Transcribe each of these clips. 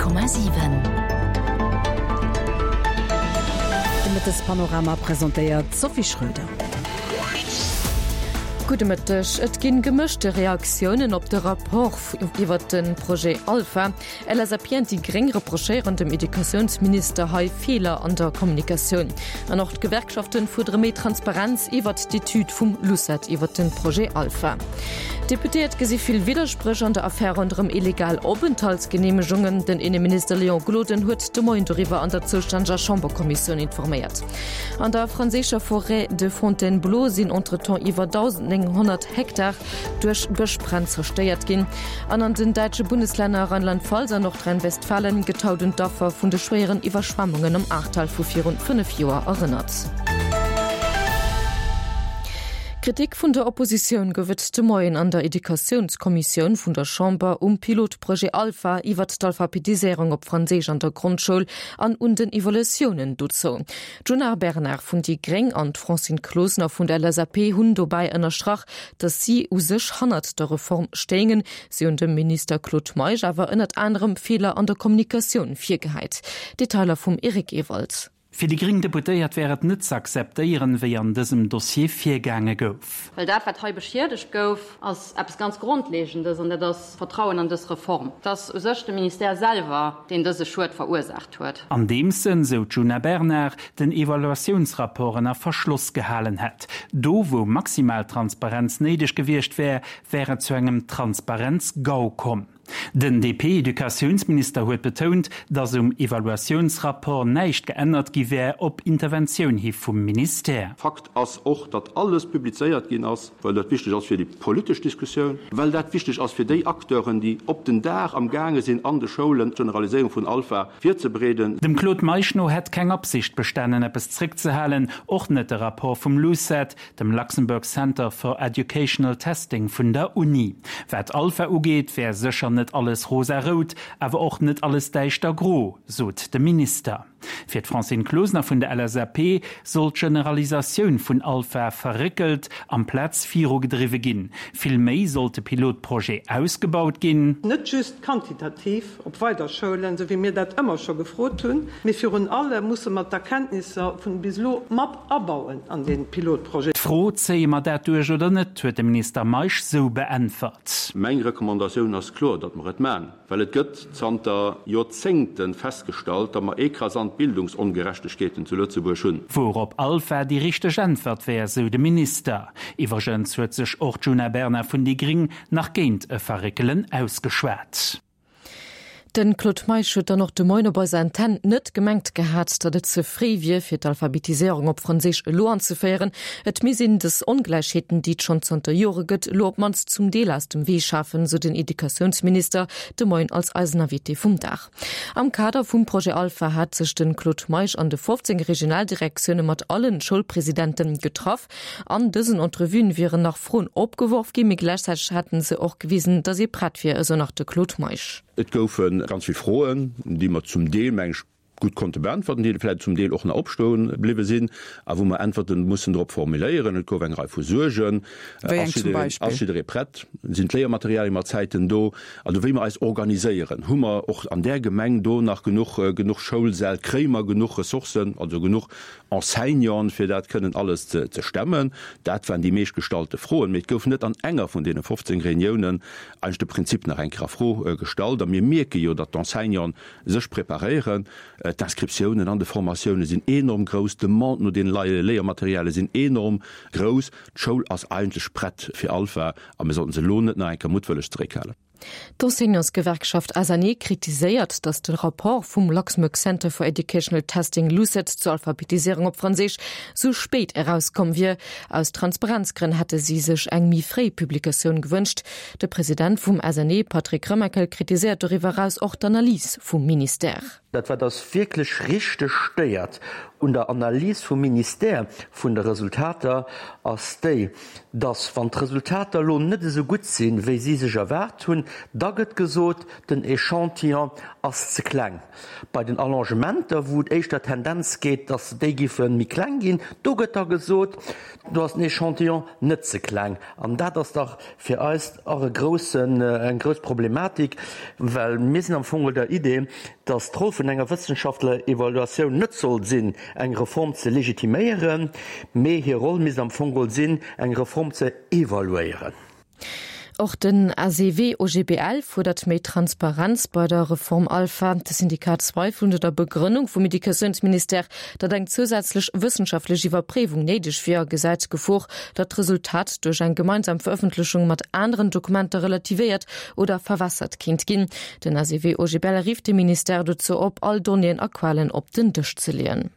100,7. De Mëttespanorama presentéiert d'Sophie Schröder. Gudde Mëtteg. Et ginn gemëschte Reaktiounen op de Rapport iwwert de Projet Alpha. LSAP an déi Gréng reprochéieren dem Educatiounsminister hei Feeler an der Kommunikatioun. An och d'Gewerkschaften fuerdere méi Transparenz iwwert d'Etüd vum LUCET iwwert de Projet Alpha. D'Deputéiert gesi vill Widderspréch an der Affär ronderëm illegal Openthaltsgeneemegungen. Den Inneminister Léon Gloden huet de Moien doriwwer an der zoustänneger Chamberkommissioun informéiert. An der franséischer Forêt de Fontainebleau sinn entretemps iwwer 1.900 Hektar duerch Bëschbränn zerstéiert ginn. An an den däitsche Bundeslänner Rheinland-Pfalz an Nordrhein-Westfalen gëtt haut un d'Affer vun de schwéieren Iwwerschwemmungen am Ahrtal vu virun 5 Joer erënnert. Kritik vun der Oppositioun gouf et de Moien an der Educatiounskommissioun vun der Chamber um Pilotprojet Alpha iwwert d'Alphabetiséierung op Franséisch an der Grondschoul an un den Evaluatiounen dozou. D'Djuna Bernard vun déi Gréng an d'Francine Closener vun der LSAP hunn dobäi ënnerstrach, datt si u sech hannert der Reform stéingen. Si hunn dem Minister Claude Meisch awer ënnert anerem Feeler an der Kommunikatioun virgehäit. Detailer vum Eric Ewald. Fir déi gréng Deputéiert wär et net ze akzeptéieren, wéi an dësem Dossier virgaange gouf. Well dat, wat hei beschiedegt gouf, ass eppes ganz Grondlegendes, an dat ass d'Vertrauen an dës Reform. Et ass u sech de Ministère selwer, deen dëse Schued verursaacht huet. Andeems en, sou d'Djuna Bernard, den Evaluatiounsrapport ënner Verschloss gehalen hätt. Do, wou maximal Transparenz néideg gewiescht wär, wär et zu engem Transparenz-GAU komm. Den DP-Educatiounsminister huet betount, datt um Evaluatiounsrapport näischt geännert gi wär, op Interventioun hi vum Ministère. Fakt ass och, datt alles publizéiert ginn ass, well dat wichteg ass fir déi politesch Diskussioun, well dat wichteg ass fir déi Acteuren, déi op den Dag am gaange sinn, an de Schoulen d'Generaliséierung vun Alpha virzebereeden. Dem Claude Meisch no hätt keng Absicht bestanen, eppes zréckzehalen, och net de Rapport vum LUCET, dem Luxembourg Center for Educational Testing vun der Uni. Wat Alpha ugeet, wär sécher net alles rosa-rout, awer och net alles däischter gro, sot de Minister. Fir d'Francine Closener vun der LSAP soll d'Generalisatioun vun Alpha verréckelt amplaz virugedriwwe ginn. Vill méi sollt de Pilotprojet ausgebaut ginn. Net just quantitativ op weider Schoulen, esou wéi mir dat ëmmer scho gefrot hunn, mee virun allem musse mer d'Erkenntnisser vun bis elo mat abauen an dee Pilotprojet. D'Fro, Zéie mer dat duerch oder net, huet de Minister Meisch sou beäntwert. Meng Recommandatioun ass kloer, datt mer et man, well et gëtt zanter Joerzéngte festgestallt, datt mer ekrasant Bildungsongerechtegkeeten zu Lëtzebuerg hunn. Wourop Alpha déi richteg Äntwert wär, sou de Minister. Iwwregens huet sech och d'Djuna Bernard vun déi Gring nach géint e Verréckelen ausgeschwat. De Claude Meisch huet dann och de Moien op eiser Antenn net gemengt gehat, datt et ze fréi wier, fir d'Alphabetiséierung op Franséisch elo anzeféieren. Et misst een dës Ongläichheeten, déi et schonn zanter Jore gëtt, elo op d'mannst zum Deel aus dem Wee schafen, sou den Educatiounsminister de Moien als eisen Invité vum Dag. Am Kader vum Projet Alpha hat sech de Claude Meisch an de 15 Regionaldirektioune mat allen Schoulpresidente getraff. An dësen Entrevuen wieren nach Froen opgeworf ginn, mee gläichzäiteg hätten se och gewisen, datt ee prett wier, esou nach de Claude Meisch. Et goufe ganz vill Froen, déi mer zum Deel, meng ech, gutt konnte beäntwerten, déi vläicht zum Deel och nach opstoe bliwwe sinn a wou mer Äntwerte mussen drop formuléieren. Et gouf eng Rei vu Suergen. Wéi eng zum Beispill? Ass jidderee prett? Sinn d'Léiermaterialie mat Zäiten do? Also wéi mer eis organiséieren, hu mer och an där Gemeng do nach genuch, genuch Schoulsäll? Kréie mer genuch Ressourcen, also genuch Enseignanten, fir dat kënnen alles ze stemmen? Dat waren déi meescht gestallte Froen. Mee et gouf net an enger vun deene 15 Reuniounen eigentlech de Prinzip nach eng Kéier a Fro gestallt. A mir mierke jo, datt d'Enseignanten sech preparéieren. D'Inscriptiounen an de Formatioune sinn enorm grouss, d'Demande no deene Léiermaterialie sinn enorm grouss. D'Schoul ass eigentlech prett fir Alpha a mir sollten se elo net nach eng Kéier muttwëlleg zeréckhalen. D'Enseignantsgewerkschaft SNE kritiséiert, datt de Rapport vum Luxembourg Center for Educational Testing, LUCET, zur Alphabetiséierung op Franséisch sou spéit erauskomm wier. Aus Transparenzgrënn hätte si sech eng méi fréi Publikatioun gewënscht. De President vum SNE, Patrick Remakel, kritiséiert doriwwer eraus och d'Analys vum Ministère. Dat wat eis wierklech richteg stéiert un der Analys vum Ministère vun de Resultater, ass déi, dass, wann d'Resultater elo net esou gutt sinn, wéi si sech erwaart hunn, da gëtt gesot, den Echantillon ass ze kleng. Bei den Allongementer, wou et éischter Tendenz geet, dass déi giffe méi kleng ginn, do gëtt da gesot, do ass den Echantillon net ze kleng. An dat ass dach fir eis och e groussen, eng grouss Problematik, well mir sinn am Fong der Idee, dass d'Roll vun enger wëssenschaftler Evaluatioun net soll sinn, eng Reform ze legitiméieren, mee hir Roll misst am Fong sinn, eng Reform ze evaluéieren. Och den ACV-OGBL fuerdert méi Transparenz bei der Reform Alpha. De Syndikat zweifelt un der Begrënnung vum Educatiounsministère, datt eng zousätzlech wëssenschaftlech Iwwerpréiwung néideg wier a gesäit d'Gefor, datt d'Resultat duerch eng gemeinsam Verëffentlechung mat aneren Dokumenter relativéiert oder verwässert kéint ginn. Den ACV-OGBL rifft de Ministère dozou op, all Donnéeën a Quellen op den Dësch ze leeën.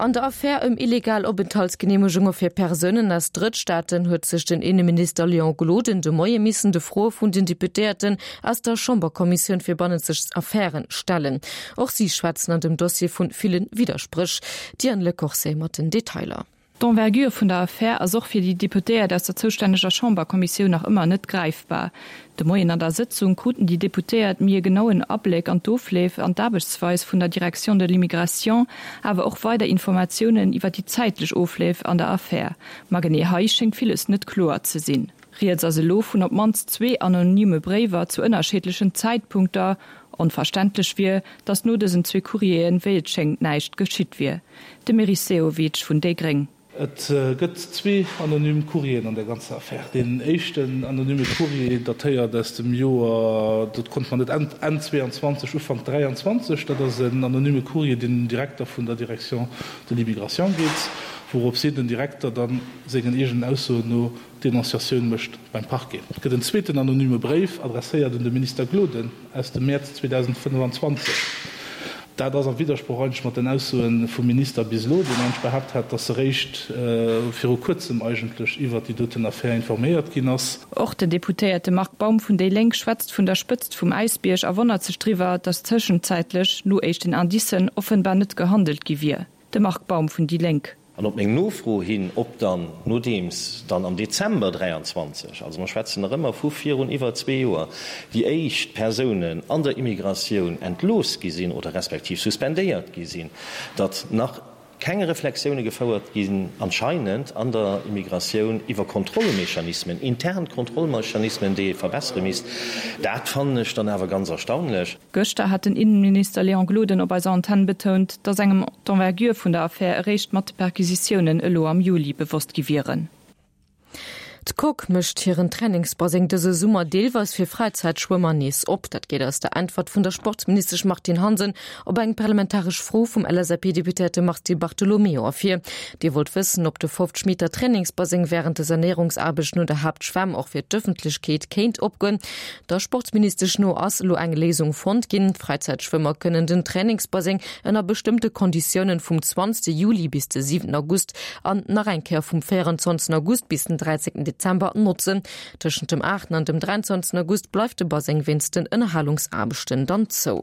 An der Affär ëm illegal Openthaltsgeneemegunge fir Persounen aus Drëttstaaten huet sech den Inneminister Léon Gloden de Moie missen de Froe vun den Deputéierten aus der Chamberkommissioun fir bannenzeg Affären stellen. Och si schwätzen an dem Dossier vu ville Widderspréch. D'Diane Lecorset mat den Detailer. D'Envergure vun der Affär ass och fir déi Deputéiert aus der zoustänneger Chamberkommissioun nach ëmmer net gräifbar. De Moien an der Sëtzung kruten déi Deputéiert méi e genauen Abléck an d'Ofleef an d'Aarbechtsweis vun der Direction de l'immigration, awer och weider Informatiounen iwwer déi zäitlech Ofleef an der Affär. Ma genee hei schéngt villes net kloer ze sinn. Rieds ass elo vun op d'mannst zwee anonyme Bréiwer zu ënnerscheedlechen Zäitpunkter. Onverständlech wier, datt no dësen zwee Courrieren, wéi et schéngt, näischt geschitt wier. De Meris Sehovic vun déi gréng. Et gëtt zwee anonym Courrieren an der ganzer Affär. Deen éischten anonyme Courrier datéiert aus dem Joer, dat konnt mer net, Enn 22, Ufank 23. Dat ass en anonyme Courrier, deen un den Direkter vun der Direction de l'immigration geet, wourops hin den Direkter dann sengen eegenen Aussoen no Denonciatioun mécht beim Parquet. Et gëtt en zweeten anonyme Bréif, adresséiert un de Minister Gloden, aus dem Mäerz 2025. Dat ass am Widdersproch eigentlech mat den Aussoe vum Minister bis elo, deen eigentlech behaapt hat, datt eréischt viru kuerzem eigentlech iwwert déi doten Affär informéiert ginn ass. Och den Deputéierte Marc Baum vun déi Lénk schwätzt vun der Spëtzt vum Äisbierg a wonnert sech driwwer, datt tëschenzäitlech, no éischten Indicen, offenbar net gehandelt gi wier. De Marc Baum vun déi Lénk. An op meng Nofro hin, ob dann, nodeems dann am Dezember 23, also mer schwätzen nach ëmmer vu virun iwwer zwee Joer, déi éischt Persounen an der Immigratioun entlooss gi sinn oder respektiv suspendéiert gi sinn, datt nach keng Reflexioune gefouert ginn anscheinend an der Immigratioun iwwer Kontrollmechanismen, intern Kontrollmechanismen, déi ee verbessere misst, dat fannen ech dann awer ganz erstaunlech. Gëschter hat den Innenminister Léon Gloden op eiser Antenn betount, datt engem d'Envergure vun der Affär eréischt mat de Perquisitiounen elo am Juli bewosst gi wieren. D'Coque mécht hiren Trainingsbaseng dëse Summer deelweis fir Fräizäitschwëmmer nees op. Dat geet aus der Äntwert vun der Sportsministesch Martine Hansen op eng parlamentaresch Fro vum LSAP-Deputéierte Mars Di Bartolomeo ervir. Dee wollt wëssen, ob de 50 Meter Trainingsbaseng wärend de Sanéierungsaarbechten un der Haaptschwämm och fir d'Ëffentlechkeet kéint opgoen. Der Sportsministesch no ass elo eng Léisung fonnt ginn. D'Fräizäitschwëmmer kënnen den Trainingsbaseng ënner bestëmmte Konditiounen vum 20 Juli bis de 7 August an nach eng Kéier vum 24 August bis den 13 Dezember notzen. Tëschent dem 8 an dem 23 August bleift de Baseng wéinst den Ënnerhalungsaarbechten dann zou.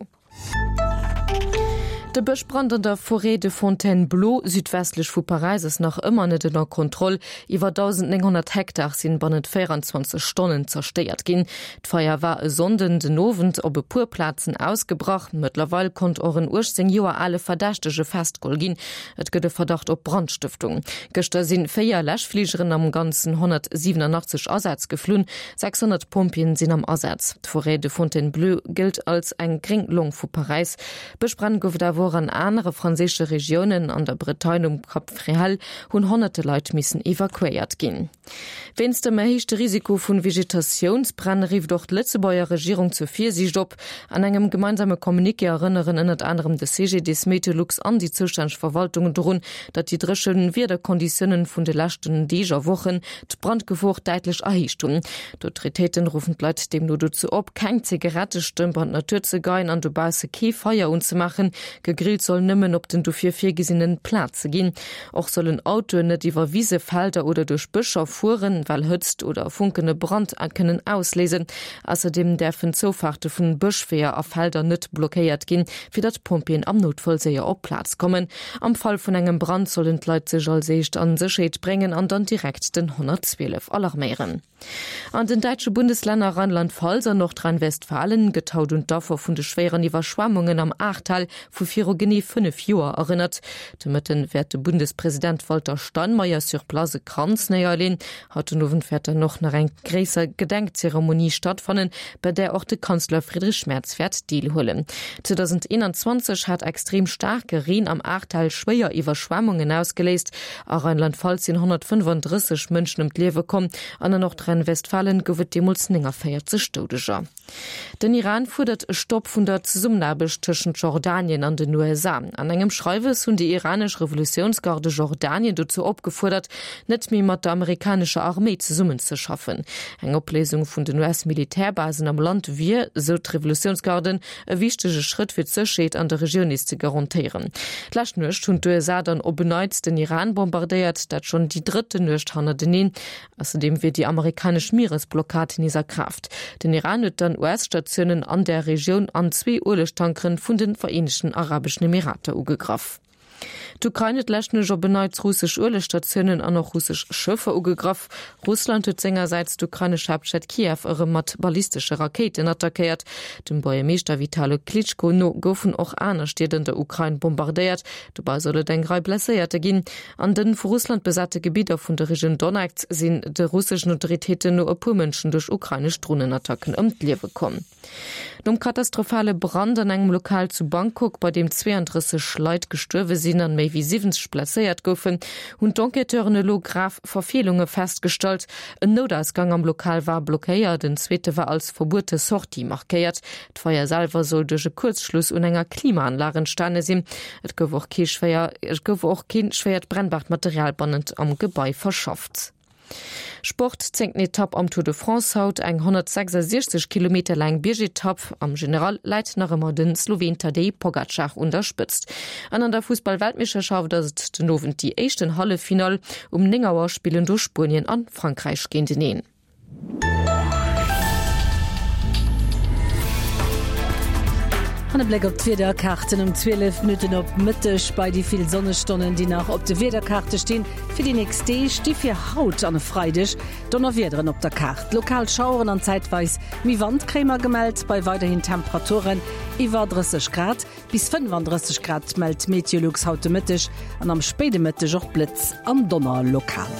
De Bëschbrand an der Forêt de Fontainebleau, südwestlech vu Paräis, ass nach ëmmer net ënner Kontroll. Iwwer 1.900 Hektar sinn bannent 24 Stonnen zerstéiert ginn. D'Feier war e Sonnden den Owend op e puer Plazen ausgebrach. Mëttlerweil konnt och en 18 Joer ale Verdächtege festgeholl ginn. Et gëtt e Verdacht op Brandstëftung. Gëschter sinn 4 Läschfligeren am Ganzen 187 Asätz geflunn. 600 Pompjeeën sinn am Asaz. D'Forêt de Fontainebleau gëllt als eng gréng Long vu Paräis. Bëschbränn gouf et awer och an anere franséische Regiounen. An der Bretagne um Cap Fréhel hunn honnerte Leit missen evakuéiert ginn. Wéinst dem erhéichte Risiko vu Vegetatiounsbränn rifft och d'Lëtzebuerger Regierung zur Virsiicht op. An engem gemeinsame Communiqué erënneren ënnert anerem de CGDIS, Meteolux an déi zoustänneg Verwaltungen dorun, datt déi dréche Wiederkonditiounen vun de leschten Deeg a Wochen d'Brandgefor däitlech erhéicht hunn. D'Autoritéiten ruffen d'Leit deemno dozou op, keng Zigarettestëmp an d'Natur ze geien an dobausse kee Feier unzemaachen. Gegrillt soll nëmmen op den dofir virgesinnen Plaze ginn. Och sollen Autoen net iwwer Wise, Felder oder duerch Bëscher fueren, well Hëtzt oder Funken e Brand kënnen ausléisen. Ausserdeem däerfen d'Zoufaarte vun Bëschweeër a Felder net blockéiert ginn, fir datt d'Pompjeeën am Noutfall séier op d'Plaz kommen. Am Fall vun engem Brand sollen d'Leit sech als éischt a Sécherheet bréngen an dann direkt den 112 alarméieren. An den däitsche Bundeslänner Rheinland-Pfalz an Nordrhein-Westfalen gëtt haut un d'Affer vun de schwéieren Iwwerschwemmungen am Ahrtal vu viru genee 5 Joer erënnert. De Mëtten wäert de Bundespresident Walter Steinmeier sur place e Kranz néierleen. Haut den Owend wäert dann och nach eng gréisser Gedenkzeremonie stattfannen, bei där och de Kanzler Friedrich Merz wäert deelhuelen. 2021 hat extrem staarke Reen am Ahrtal schwéier Iwwerschwemmungen ausgeléist. A Rheinland-Pfalz sinn 135 Mënschen ëm d'Liewe komm an an Nordrhein-Westfalen gouf et deemools 49 Doudeger. Den Iran fuerdert e Stopp vun der Zesummenaarbecht tëschent Jordanien an den USA. An engem Schreiwes hunn déi iranesch Revolutiounsgarde Jordanien dozou opgefuerdert, net méi mat der amerikanescher Arméi zesummenzeschaffen. Eng Opléisung vun den US-Militärbasen am Land wier, sou d'Revolutiounsgarden, e wichtege Schrëtt fir d'Sécherheet an der Regioun nees ze garantéieren. D'lescht Nuecht hunn d'USA dann op en Neits den Iran bombardéiert, dat schonn déi drëtten Nuecht hannerteneen. Ausserdeem wier déi amerikanesch Mieresblockad nees a Kraaft. Den Iran huet dann US-Statiounen an där Regioun an zwee Uelegtankeren vun de Vereenegten Arabeschen Emirater ugegraff. D'Ukrain huet d'lescht Nuecht op en Neits russesch Uelegstatiounen an och russesch Schëffer ugegraff. Russland huet sengersäits d'ukrainesch Haaptstad Kiew erëm mat ballistesche Rakéiten attackéiert. Dem Buergermeeschter Vitali Klitschko no goufen och aner Stied an der Ukrain bombardéiert. Dobei soll et eng Rei Blesséierte ginn. An de vu Russland besate Gebidder vun der Regioun Donetsk sinn de russeschen Autoritéiten no e puer Mënschen duerch ukrainesch Dronenattacken ëm d'Liewe komm. Nom katastrophale Brand an engem Lokal zu Bangkok, bei deem 32 Leit gestuerwe sinn an méi wéi 70 blesséiert goufen, hunn d'Enquêteuren elo grav Verfeelunge festgestallt. En Noutausgang am Lokal war blockéiert, en zweete war als verbuete Sortie markéiert. D'Feier selwer soll duerch e Kuerzschluss un enger Klimaanlag entstane sinn. Et gouf och kee schwéier et gouf och kee schwéiert brennbart Material bannent am Gebai verschafft. Sport, Zéngten Etapp am Tour de France haut, eng 166 Kilometer laang Biergetapp. Am General läit nach ëmmer de Sloween Tadej Pogacar un der Spëtzt. An an der Fussball-Weltmeeschterschaft ass et den Owend déi éischten Halleffinall. Um 9 Auer spillen do Spuenien an Frankräich géinteneen. An e Bléck op d'Wiederkaarten um 12 Minutten op Mëtteg. Bei déi vill Sonnestonnen, déi nach op de Wiederkaarte stinn fir déi nächst Deeg, sti fir haut an e Freideg Donnerwiederen op der Kaart. Lokal Schaueren an zäitweis méi Wand kréie mer gemellt, bei weiderhin Temperaturen iwwer 30 Grad. Bis 35 Grad mellt Meteolux haut de Mëtteg an am spéide Mëtteg och Blëtz an Donner lokal.